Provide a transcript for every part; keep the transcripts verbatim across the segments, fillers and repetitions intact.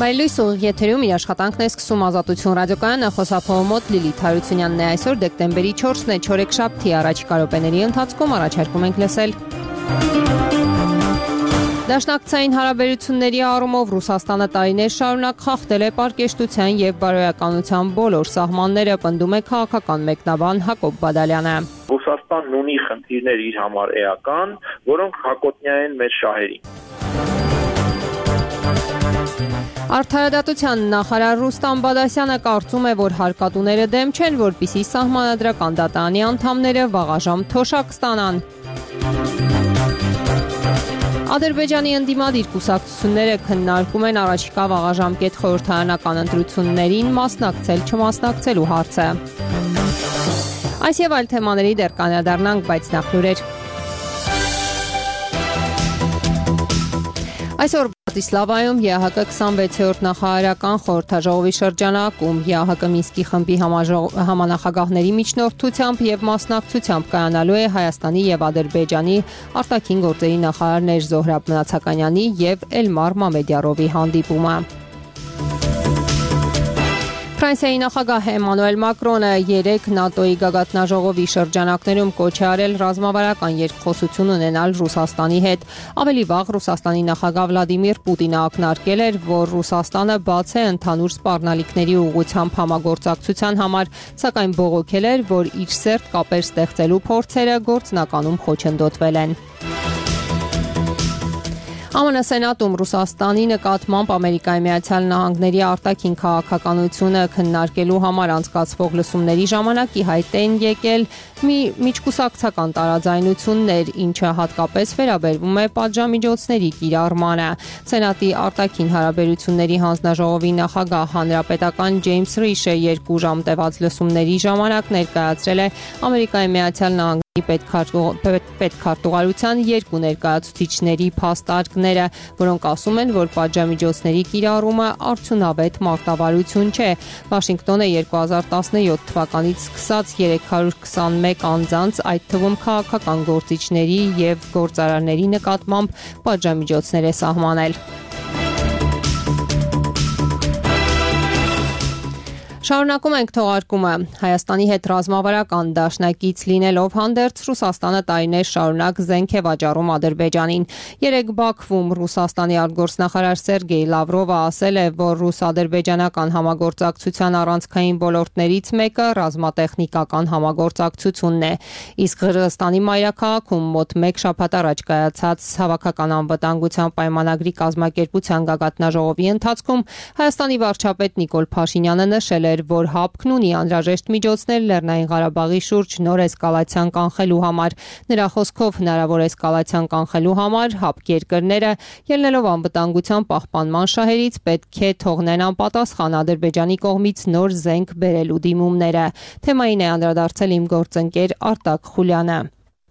Մայլույս ուղիղ եթերում իր աշխատանքն է սկսում Ազատություն ռադիոկայանը, խոսափողը մոտ Լիլիթ Հարությունյանն է։ Այսօր դեկտեմբերի չորսն է, չորեքշաբթի, առաջիկա րոպեների ընթացքում առաջարկում ենք լսել. Դաշնակցային հարաբերությունների առումով Ռուսաստանը տարիներ շարունակ խախտել է պարկեշտության և բարոյականության բոլոր սահմանները, պնդում է քաղաքական մեկնաբան Հակոբ Բադալյանը։ Ռուսաստանն ունի խնդիրներ իր համար էական, որոնք հակոտնյա են մեր շահերին։ Արդարադատության նախարար Ռուստամ Բադասյանը կարծում է, որ հարկատուները դեմ չեն, որպեսզի սահմանադրական դատարանի անդամները վաղաժամ թոշակ ստանան։ Ադրբեջանի ընդդիմադիր կուսակցությունները քննարկում են առաջիկա վաղաժամկետ խորհրդարանական ընտրություններին մասնակցել չմասնակցելու հարցը։ Այս եւ այլ թեմաների դեռ կանդրադառնանք, բայց նախ լուրեր։ Այսօր Բրատիսլավայում ԵԱՀԿ քսանվեցերորդ նախարարական խորհրդաժողովի շրջանակում ԵԱՀԿ Մինսկի խմբի համանախագահների միջնորդությամբ եւ մասնակցությամբ կայանալու է Հայաստանի եւ Ադրբեջանի արտաքին գործերի նախարարներ Զոհրաբ Մնացականյանի եւ Էլմար Մամեդյարովի հանդիպումը։ Ֆրանսիայի նախագահ Էմանուել Մակրոնը երեկ ՆԱՏՕ-ի գագաթնաժողովի շրջանակներում կոչ է արել ռազմավարական երկխոսություն ունենալ Ռուսաստանի հետ։ Ավելի վաղ Ռուսաստանի նախագահ Վլադիմիր Պուտինը ակնարկել էր, որ Ռուսաստանը բաց է ընդհանուր սպառնալիքների ուղղությամբ համագործակցության համար, սակայն բողոքել էր, որ իր սերտ կապեր ստեղծելու փորձերը գործնականում խոչընդոտվել են։ ԱՄՆ Սենատում Ռուսաստանի նկատմամբ Ամերիկայի Միացյալ Նահանգների արտաքին քաղաքականությունը քննարկելու համար անցկացվող լսումների ժամանակ ի հայտ են եկել մի միջկուսակցական տարաձայնություններ, ինչը հատկապես վերաբերվում է պատժամիջոցների կիրառմանը։ Սենատի արտաքին հարաբերությունների հանձնաժողովի նախագահ հանրապետական Ջեյմս Ռիշը երկու ժամ տևած լսումների ժամանակ ներկայացրել է Ամերիկայի Միացյալ Նահանգների պետքարտուղարության երկու ներկայացուցիչների փաստարկները, որոնք ասում են, որ պատժամիջոցների կիրառումը արդյունավետ մարտավարություն չէ։ Վաշինգտոնը երկու հազար տասնյոթ թվականից սկսած երեք հարյուր քսանմեկ անձանց, այդ թվում քաղաքական գործիչների եւ գործարարների նկատմամբ պատժամիջոցներ է սահմանել։ Շարունակում ենք թողարկումը։ Հայաստանի հետ ռազմավարական դաշնակից լինելով հանդերձ Ռուսաստանը տարիներ շարունակ զենք է վաճառում Ադրբեջանին։ Երեկ Բաքվում Ռուսաստանի արտգործնախարար Սերգեյ Լավրովը ասել է, որ ռուս-ադրբեջանական համագործակցության առանցքային ոլորտներից մեկը ռազմատեխնիկական համագործակցությունն է։ Իսկ Ղրղստանի մայրաքաղաքում մոտ մեկ շաբաթ առաջ կայացած հավաքական անվտանգության պայմանագրի կազմակերպության գագաթնաժողովի ընթացքում Հայաստանի վարչապետ Նիկոլ Փաշինյանը նշել էր, որ ՀԱՊԿ-ն ունի անհրաժեշտ միջոցներ Լեռնային Ղարաբաղի շուրջ նոր էսկալացիան կանխելու համար։ Նրա խոսքով հնարավոր էսկալացիան կանխելու համար ՀԱՊԿ երկրները, ելնելով անվտանգության պահպանման շահերից, պետք է թողնեն անպատասխան Ադրբեջանի կողմից նոր զենք բերելու դիմումները։ Թեմային է անդրադարձել իմ գործընկեր Արտակ Խուլյանը։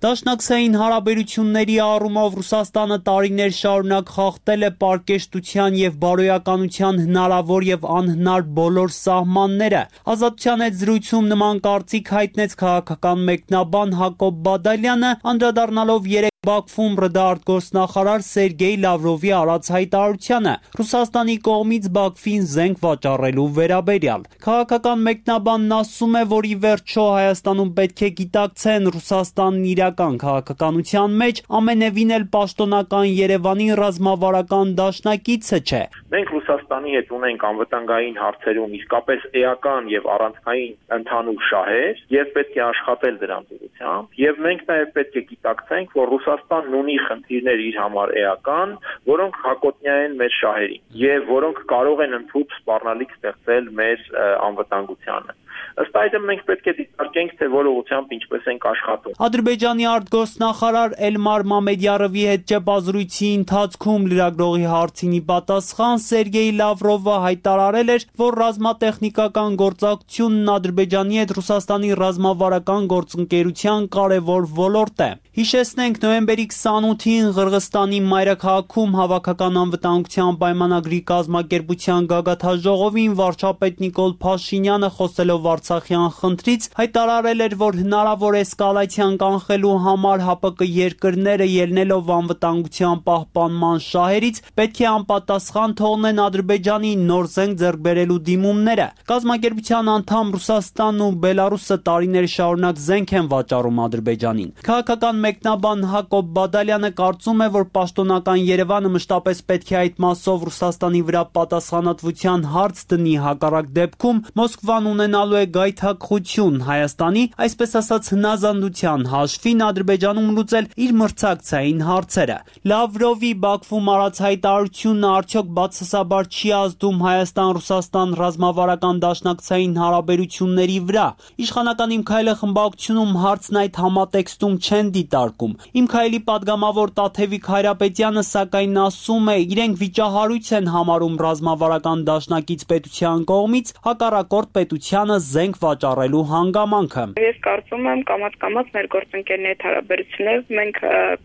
Դաշնակցային հարաբերությունների առումով Ռուսաստանը տարիներ շարունակ խախտել է պարկեշտության և բարոյականության հնարավոր և անհնար բոլոր սահմանները։ Ազատության հետ զրույցում նման կարծիք հայտնեց քաղաքական մեկնաբան Հակոբ Բադալյանը, անդրադառնալով երեկ Բաքվում ՌԴ արտգործնախարար Սերգեյ Լավրովի արած հայտարարությանը Ռուսաստանի կողմից Բաքվին զենք վաճառելու վերաբերյալ։ Քաղաքական մեկնաբանն ասում է, որ ի վերջո Հայաստանում պետք է գիտակցեն Ռուսաստանն իրական քաղաքականության մեջ ամենևին էլ պաշտոնական Երևանի ռազմավարական դաշնակիցը չէ։ Մենք Ռուսաստանի հետ ունենք անվտանգային հարցերում իսկապես էական եւ առանցքային ընդհանուր շահեր եւ պետք է աշխատել դրանց ուղղությամբ, եւ մենք նաեւ պետք է գիտակցենք, որ Ռուսաստանն ունի խնդիրներ իր համար էական, որոնք հակոտնյա են մեր շահերին եւ որոնք կարող են ընդհանուր սպառնալիք ստեղծել մեր անվտանգությանը։ Ըստ այդմ մենք պետք է դիտարկենք, թե որ ուղղությամբ ինչպես ենք աշխատում։ Ադրբեջանի արտգործնախարար Էլմար Մամեդյարովի հետ ճեպազրույցի ընթացքում լրագրողի հարցին ի պատասխան Սերգեյ Լավրովը հայտարարել էր, որ ռազմատեխնիկական գործակցությունն Ադրբեջանի հետ Ռուսաստանի ռազմավարական գործընկերության կարևոր ոլորտ է։ Հիշեցնենք, նոյեմբերի քսանութին Ղրղստանի մայրաքաղաքում հավաքական անվտանգության պայմանագրի կազմակերպության գագաթնաժողովին վարչապետ Նիկոլ Փաշինյանը խոսելով Արցախյան խնդրից, հայտարարել էր, որ հնարավոր էսկալացիան կանխելու համար ՀԱՊԿ երկրները ելնելով անվտանգության պահպանման շահերից պետք է անպատասխան թողնեն Ադրբեջանի նոր զենք ձեռք բերելու դիմումները։ Կազմակերպության անդամ Ռուսաստանն ու Բելարուսը տարիներ շարունակ զենք են վաճառում Ադրբեջանին։ Քաղաքական մեկնաբան Հակոբ Բադալյանը կարծում է, որ պաշտոնական Երևանը մշտապես պետք է այդ մասով Ռուսաստանի վրա պատասխանատվության հարց դնի, հակառակ դեպքում Մոսկվան ունենալու է գայթակղություն Հայաստանի, այսպես ասած հնազանդության հաշվին Ադրբեջանում լուծել իր մրցակցային հարցերը։ Լավրովի Բաքվում արած հայտարարությունը արդյոք բացասաբար չի ազդում Հայաստան-Ռուսաստան ռազմավարական դաշնակցային հարաբերությունների վրա։ Իշխանական Իմ քայլը խմբակցությունում հարցն այդ համատեքստում չեն դիտարկում։ Իմ քայլի падգամավոր Տաթևիկ Հայրապետյանը սակայն ասում է, իրենք վիճահարույց են համարում ռազմավարական դաշնակից պետության կողմից հակառակորդ պետությանը զենք վաճառելու հանգամանքը։ Ես կարծում եմ կամաց-կամաց մեր գործընկերների հետ հարաբերությունները մենք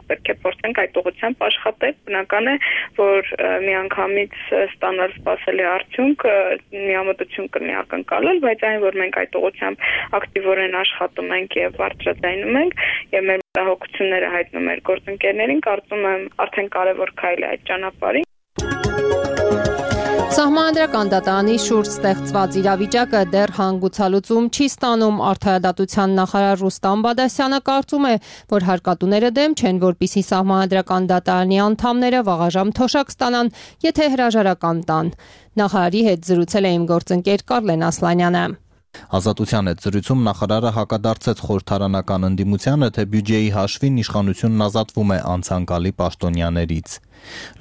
պետք է փորձենք այդ ուղղությամբ աշխատել։ Բնական է, որ միանգամից ստանալ սպասելի արդյունք միամտություն կլինի ակնկալել, բայց այն, որ մենք այդ ուղղությամբ ակտիվորեն աշխատում ենք եւ բարձրաձայնում ենք եւ մեր մտահոգությունները հայտնում մեր գործընկերներին, կարծում եմ արդեն կարևոր քայլ է այդ ճանապարհին։ Սահմանադրական դատարանի շուրջ ստեղծված իրավիճակը դեռ հանգուցալուծում չի ստանում։ Արդարադատության նախարար Ռուստամ Բադասյանը կարծում է, որ հարկատուները դեմ չեն, որպիսի Սահմանադրական դատարանի անդամները վաղաժամ թոշակ ստանան, եթե հրաժարական տան։ Նախարարի հետ զրուցել է իմ գործընկեր Կարլեն Ասլանյանը։ Ազատության հետ զրույցում նախարարը հակադարձեց խորհրդարանական ընդդիմությանը, թե բյուջեի հաշվին իշխանությունն ազատվում է անցանկալի պաշտոնյաներից։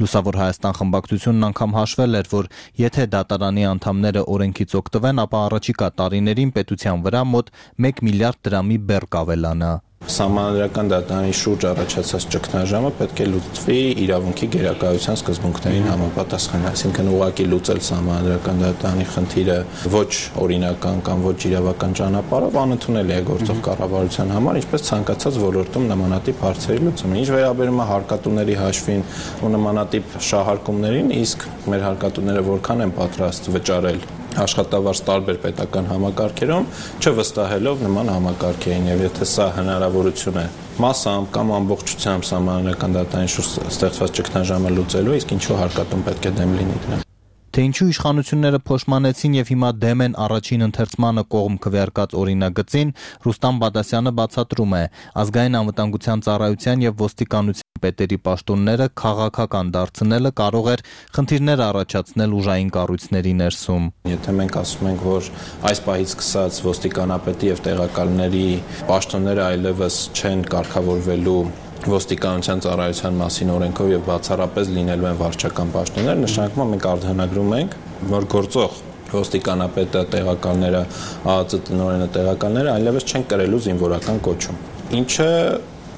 Լուսավոր Հայաստան խմբակցությունն անգամ հաշվել էր, որ եթե դատարանի անդամները օրենքից օգտվեն, ապա առաջիկա տարիներին պետության վրա մոտ մեկ միլիարդ դրամի բեռ կավելանա։ Սահմանադրական դատարանի շուրջ առաջացած ճգնաժամը պետք է լուծվի իրավունքի գերակայության սկզբունքներին համապատասխան, այսինքն ուղղակի լուծել սահմանադրական դատարանի խնդիրը ոչ օրինական կամ ոչ իրավական ճանապարհով անընդունելի է գործող կառավարության համար, ինչպես ցանկացած ոլորտում նմանատիպ հարցերի լուծումը։ Ինչ վերաբերում է հարկատուների հաշվին ու նմանատիպ շահարկումներին, իսկ մեր հարկատուները որքան են պատրաստ վճարել աշխատավարձ տարբեր պետական համակարգերում, չվստահելով նման համակարգերին, եւ եթե սա հնարավորություն է մասամբ կամ ամբողջությամբ սահմանադրական դատարանի շուրջ ստեղծված ճգնաժամը լուծելու, իսկ ինչու հարկատուն պետք է դեմ լինի դրան։ Թե ինչու իշխանությունները փոշմանեցին եւ հիմա դեմ են առաջին ընթերցմանը կողմ քվեարկած օրինագծին, Ռուստամ Բադասյանը բացատրում է, ազգային անվտանգության ծառայության եւ ոստիկանության պետերի պաշտոնները քաղաքական դարձնելը կարող էր խնդիրներ առաջացնել ուժային կառույցների ներսում։ Եթե մենք ասում ենք, որ այս պահից սկսած ոստիկանապետի եւ տեղակալների պաշտոնները այլևս չեն կարգավորվելու ոստիկանության ծառայության մասին օրենքով եւ բացառապես լինելու են վարչական պաշտոններ, նշանակում է մենք արձանագրում ենք, որ գործող ոստիկանապետը, տեղակալները, ԱԱԾ տնօրենը, տեղակալները այլևս չեն կրելու զինվորական կոչում, ինչը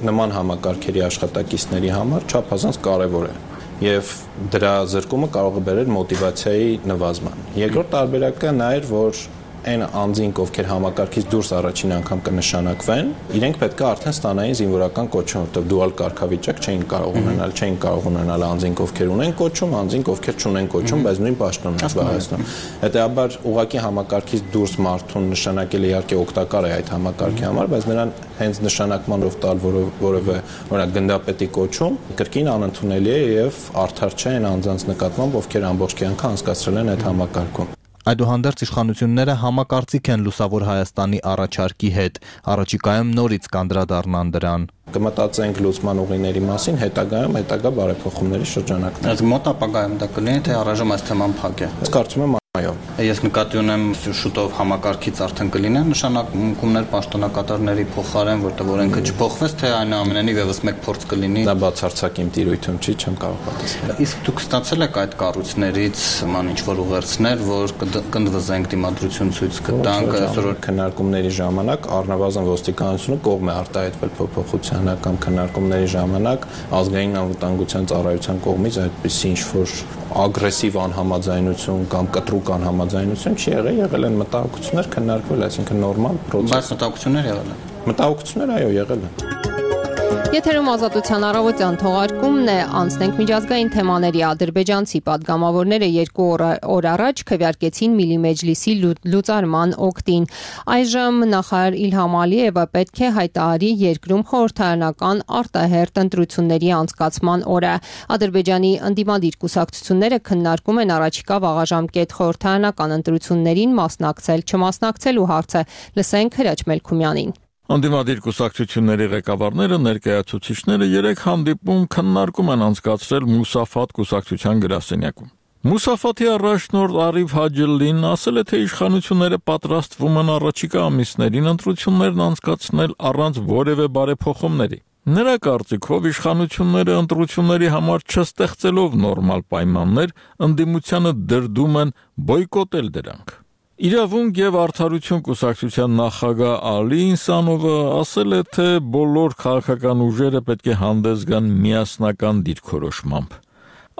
նման համակարգերի աշխատակիցների համար չափազանց կարևոր է եւ դրա զրկումը կարող է բերել մոտիվացիայի նվազման։ Երկրորդ տարբերակը նա էր, որ այն անձինք, ովքեր համակարգից դուրս առաջին անգամ կնշանակվեն, իրենք պետք է արդեն ստանային զինվորական կոչում, որտեղ դուալ կարգավիճակ չէին կարող ունենալ, չէին կարող ունենալ անձինք, ովքեր ունեն կոչում, անձինք, ովքեր չունեն կոչում, բայց նույն պաշտոնն են զբաղեցնում։ Հետեւաբար ուղղակի համակարգից դուրս մարդուն նշանակել իհարկե օգտակար է այդ համակարգի համար, բայց նրան հենց նշանակմանով տալ որևէ օրինակ գնդապետի կոչում կրկին անընդունելի է եւ արդար չէ այն անձանց նկատմամբ, ովքեր ամբողջ կյանքը անցկացրել են այդ համակարգում։ Այդուհանդերձ իշխանությունները համակարծիք են Լուսավոր Հայաստանի առաջարկի հետ, առաջիկայում նորից կանդրադառնան դրան։ Կմտածենք լուծման ուղիների մասին, հետագայում հետագա բարեփոխումների շրջանակներ։ Այս մոտ ապագայում դա կլինի, թե առայժմ այս թեման փակ է։ Ես կարծում եմ այո։ Ես նկատի ունեմ շուտով համակարգից արդեն կլինեն նշանակումներ պաշտոնակատարների փոխարեն, որտեղ օրենքը չփոխվեց, թե այնուամենայնիվ եւս մեկ փորձ կլինի։ Դա բացարձակ իմ տիրույթում չի, չեմ կարող պատասխանել։ Իսկ դուք ստացել եք այդ կառույցներից ման ինչ-որ ուղերձներ, որ կընդվզենք դիմադրություն ցույց կտանք, այսօր քննարկումների ժամանակ առնվազն ոստիկանությունը կողմ է արտահայտվել փոփոխության կամ քննարկումների ժամանակ ազգային անվտանգության ծառայության կողմից այդպիսի ինչ-որ ագրեսիվ անհամաձայնություն կամ կտրուկ անհամաձայնություն չի եղել, եղել են մտահոգություններ քննարկվել, այսինքն նորմալ process։ Բայց մտահոգություններ եղել են։ Մտահոգություններ այո եղել են։ Եթերում ազատության առավոտյան թողարկումն է, անցնենք միջազգային թեմաների։ Ադրբեջանցի падգամավորները երկու օր առաջ քվեարկեցին Միլի Մեջլիսի լուծարման օգտին։ Այժմ նախարար Իլհամ Ալիևը պետք է հայտարարի երկրում խորհրդարանական արտահերթ ընտրությունների անցկացման օրը։ Ադրբեջանի ընդդիմադիր կուսակցությունները քննարկում են առաջիկա վաղաժամկետ խորհրդարանական ընտրություններին մասնակցել, չմասնակցելու հարցը։ Լսենք Հրաչ Մելքումյանին։ Անդիմադիր կուսակցությունների ղեկավարները ներկայացուցիչները երեք հանդիպում քննարկում են անցկացրել Մուսաֆատ կուսակցության գրասենյակում։ Մուսաֆատի առաջնորդ Արիֆ Հաջելին ասել է, թե իշխանությունները պատրաստվում են առաջիկա ամիսներին ընտրություններն անցկացնել առանց որևէ բարեփոխումների։ Նրա կարծիքով իշխանությունները ընտրությունների համար չստեղծելով նորմալ պայմաններ, ընդդիմությանը դրդում են բոյկոտել դրանք։ Իրավունք եւ արդարություն կուսակցության նախագահ Ալի Ինսանովը ասել է, թե բոլոր քաղաքական ուժերը պետք է հանդես գան միասնական դիրքորոշմամբ։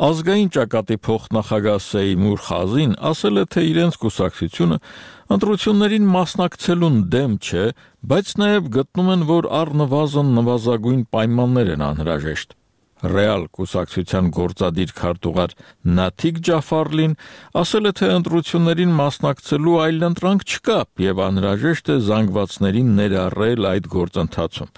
Ազգային ճակատի փոխնախագահ Սեյմուր Խազին ասել է, թե իրենց կուսակցությունը ընտրություններին մասնակցելուն դեմ չէ, բայց նաեւ գտնում են, որ առնվազն նվազագույն պայմաններ են անհրաժեշտ։ Ռեալ կուսակցության գործադիր քարտուղար Նաթիկ Ջաֆարլին ասել է, թե ընտրություններին մասնակցելու այլընտրանք չկա եւ անհրաժեշտ է զանգվածներին ներառել այդ գործընթացում։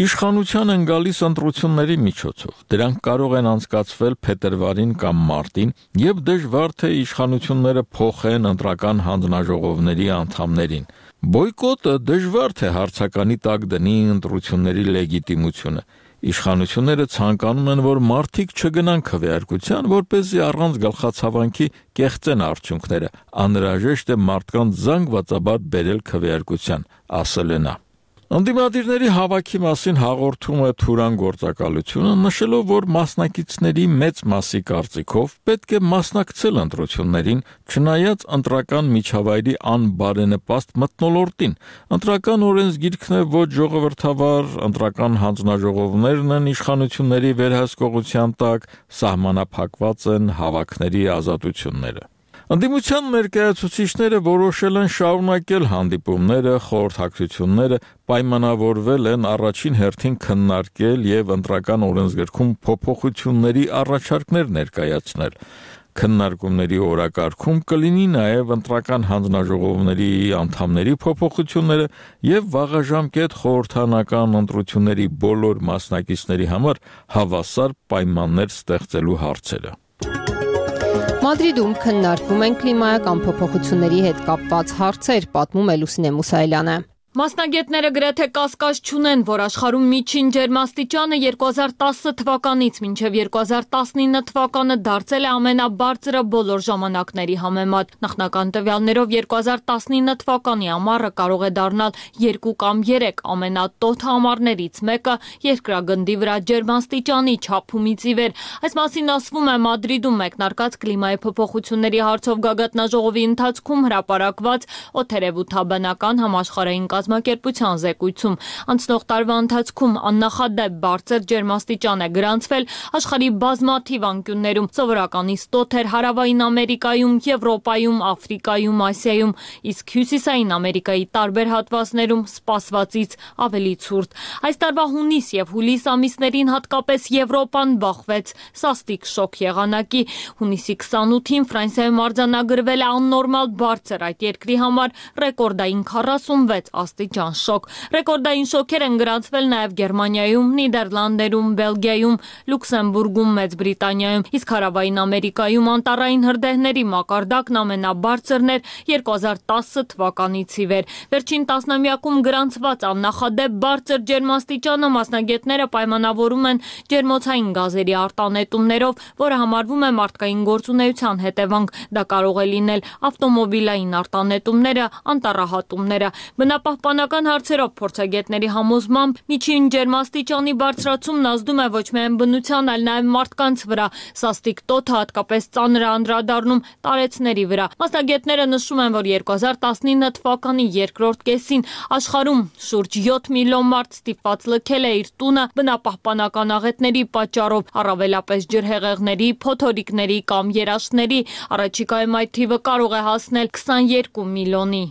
Իշխանության են գալիս ընտրությունների միջոցով։ Դրանք կարող են անցկացվել փետրվարին կամ մարտին եւ դժվար թե իշխանությունները փոխեն ընտրական հանձնաժողովների անդամներին։ Բոյկոտը դժվար թե հարցականի տակ դնի ընտրությունների լեգիտիմությունը։ Իշխանությունները ցանկանում են, որ մարդիկ չգնան քվեարկության, որպեսզի առանց գլխացավանքի կեղծեն արդյունքները։ Անհրաժեշտ է մարդկանց զանգվածաբար բերել քվեարկության, ասել է նա։ Ընդդիմադիրների հավաքի մասին հաղորդում է Թուրան գործակալությունը, նշելով, որ մասնակիցների մեծ մասի կարծիքով պետք է մասնակցել ընտրություններին, չնայած ընտրական միջավայրի անբարենպաստ մթնոլորտին։ Ընտրական օրենսգիրքն է ոչ ժողովրդավար, ընտրական հանձնաժողովներն են իշխանությունների վերահսկողության տակ, սահմանափակված են հավաքների ազատությունները։ Ընդդիմության ներկայացուցիչները որոշել են շարունակել հանդիպումները, խորհրդակցությունները, պայմանավորվել են առաջին հերթին քննարկել եւ ընտրական օրենսգրքում փոփոխությունների առաջարկներ ներկայացնել։ Քննարկումների օրակարգում կլինի նաեւ ընտրական հանձնաժողովների անդամների փոփոխությունները եւ վաղաժամկետ խորհրդարանական ընտրությունների բոլոր մասնակիցների համար հավասար պայմաններ ստեղծելու հարցերը։ Մադրիդում քննարկվում են կլիմայական փոփոխությունների հետ կապված հարցեր, պատմում է Լուսինե Մուսայելյանը։ Մասնագետները գրեթե կասկած չունեն, որ աշխարհում միջին ջերմաստիճանը երկու հազար տասը թվականից մինչև երկու հազար տասնինը թվականը դարձել է ամենաբարձրը բոլոր ժամանակների համեմատ։ Նախնական տվյալներով երկու հազար տասնինը թվականի ամառը կարող է դառնալ երկու կամ երեք ամենատոթ ամառներից մեկը երկրագնդի վրա ջերմաստիճանի չափումից ի վեր։ Այս մասին ասվում է Մադրիդում մեկնարկած կլիմայի փոփոխությունների հարցով գագաթնաժողովի ընթացքում հրապարակված օդերևութաբանական համաշխարհային կազմակերպության զեկույցում։ Անցնող տարվա ընթացքում աննախադեպ բարձր ջերմաստիճան է գրանցվել աշխարհի բազմաթիվ անկյուններում, սովորականից տոթ էր Հարավային Ամերիկայում, Եվրոպայում, Աֆրիկայում, Ասիայում, իսկ Հյուսիսային Ամերիկայի տարբեր հատվածներում սպասվածից ավելի ցուրտ։ Այս տարվա հունիս եւ հուլիս ամիսներին հատկապես Եվրոպան բախվեց սաստիկ շոկ եղանակի։ Հունիսի քսանութին Ֆրանսիայում արձանագրվել է աննորմալ բարձր այդ երկրի համար ռեկորդային քառասունվեց աստիճան շոկ։ Ռեկորդային շոկեր են գրանցվել նաև Գերմանիայում, Նիդերլանդերում, Բելգիայում, Լյուքսեմբուրգում, Մեծ Բրիտանիայում, իսկ Հարավային Ամերիկայում անտառային հրդեհների մակարդակն ամենաբարձրն էր երկու հազար տասը թվականից ի վեր։ Վերջին տասնամյակում գրանցված աննախադեպ բարձր ջերմաստիճանը մասնագետները պայմանավորում են ջերմոցային գազերի արտանետումներով, որը համարվում է մարդկային գործունեության հետևանք։ Դա կարող է լինել ավտոմոբիլային արտանետումները, անտառահատումները։ Բնապահպանական հարցերով փորձագետների համոզմամբ միջին ջերմաստիճանի բարձրացումն ազդում է ոչ միայն բնության, այլ նաև մարդկանց վրա։ Սաստիկ տոթը հատկապես ծանր է անդրադառնում տարեցների վրա։ Մասնագետները նշում են, որ երկու հազար տասնինը թվականի երկրորդ կեսին աշխարհում շուրջ յոթ միլիոն մարդ ստիպված լքել է իր տունը բնապահպանական աղետների պատճառով, առավելապես ջրհեղեղների, փոթորիկների կամ երաշտների։ Առաջիկայում այդ թիվը կարող է հասնել քսաներկու միլիոնի։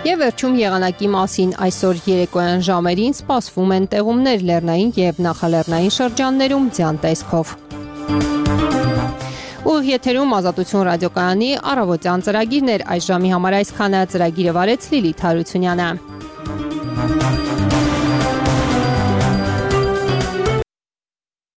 Եվ վերջում եղանակի մասին այսօր երեկոյան ժամերին սպասվում են տեղումներ լեռնային եւ նախալեռնային շրջաններում ձյան տեսքով։ Ուղիղ եթերում Ազատություն ռադիոկայանի առավոտյան ծրագիրներ, այս ժամի համար այսքանը, ծրագիրը վարեց Լիլիթ Հարությունյանը։